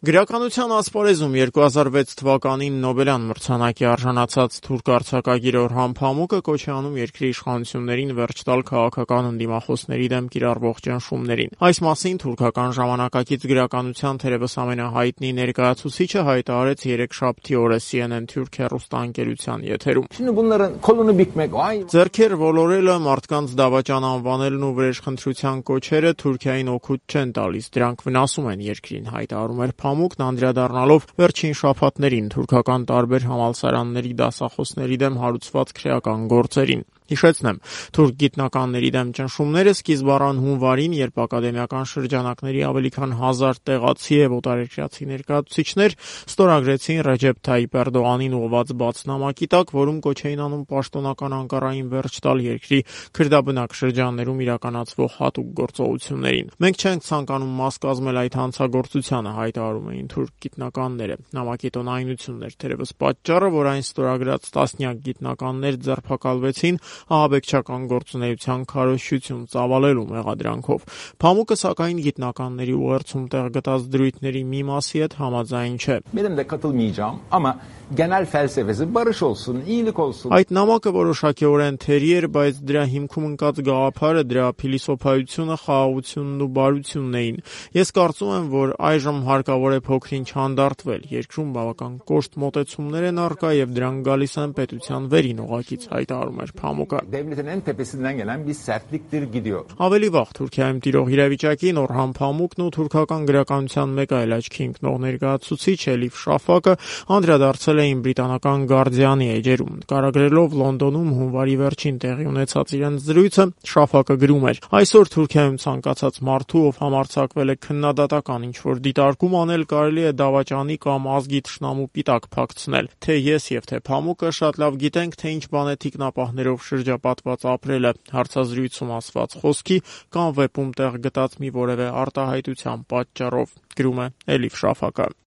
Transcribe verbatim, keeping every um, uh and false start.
Գրականության ասպարեզում երկու հազար վեց թվականին Նոբելյան մրցանակի արժանացած թուրք արձակագիր Օրհան Փամուկը կոչ է անում երկրի իշխանություններին վերջ տալ քաղաքական ընդդիմախոսների դեմ կիրառվող ճնշումներին։ Այս մասին թուրքական ժամանակակից գրականության թերևս ամենահայտնի ներկայացուցիչը հայտարարեց երեքշաբթի օրը C N N Türk հեռուստաընկերության եթերում։ Ձեռքեր ոլորելը, մարդկանց դավաճան անվանելն ու վրեժխնդրության կոչերը Թուրքիային օգուտ չեն տալիս, դրանք վնասում են երկրին, հայտարարում էր Փամուկն անդրադառնալով վերջին շաբաթներին թուրքական տարբեր համալսարանների դասախոսների դեմ հարուցված քրեական գործերին։ Հիշեցնեմ, թուրք գիտնականների դեմ ճնշումները սկիզբ առան հունվարին, երբ ակադեմիական շրջանակների ավելի քան հազար տեղացի եւ օտարերկրացի ներկայացուցիչներ ստորագրեցին Ռեջեփ Թայիփ Էրդողանին ուղղված բացնամակի տակ, որում կոչ էին անում պաշտոնական Անկարային վերջ տալ երկրի քրդաբնակ շրջաններում իրականացվող հատուկ գործողություններին։ Մենք չենք ցանկանում մաս կազմել այդ հանցագործությանը, հայտարարում էին թուրք գիտնականները։ Նամակի տոնայնությունն էր թերևս պատճառը, որ այն ստորագրած տասնյակ գիտնականներ ձերբակալվեցին ահաբեկչական գործունեության քարոզչություն ծավալելու մեղադրանքով։ Փամուկը սակայն գիտնականների ուղերձում տեղ գտած դրույթների մի մասի հետ համաձայն չէ։ Այդ նամակը որոշակիորեն թերի էր, բայց դրա հիմքում ընկած գաղափարը, դրա փիլիսոփայությունը, խաղաղությունն ու բարությունն էին։ Ես կարծում եմ, որ այժմ հարկավոր է փոքր-ինչ հանդարտվել։ Երկրում բավական կոշտ մոտեցումներ են առկա եւ դրանք գալիս են պետության վերին օղակից, հայտարարում էր Փամուկը։ Ավելի վաղ Թուրքիայում տիրող իրավիճակին Օրհան Փամուկն ու թուրքական գրականության մեկ այլ աչքի ընկնող ներկայացուցիչ Էլիֆ Շաֆակը անդրադարձել էին բրիտանական Guardian-ի էջերում։ Նկարագրելով Լոնդոնում հունվարի վերջին տեղի ունեցած իրենց զրույցը, Շաֆակը գրում էր. «Այսօր Թուրքիայում ցանկացած մարդու, ով համարձակվել է քննադատական ինչ-որ դիտարկում անել, կարելի է դավաճանի կամ ազգի թշնամու պիտակ փակցնել։ Թե ես եւ թե Փամուկը շատ լավ գիտենք, թե ինչ բան է թիկնապահներով շրջապատված ապրելը, հարցազրույցում ասված խոսքի կամ վեպում տեղ գտած մի որևէ արտահայտության պատճառով», գրում է Էլիֆ Շաֆակը։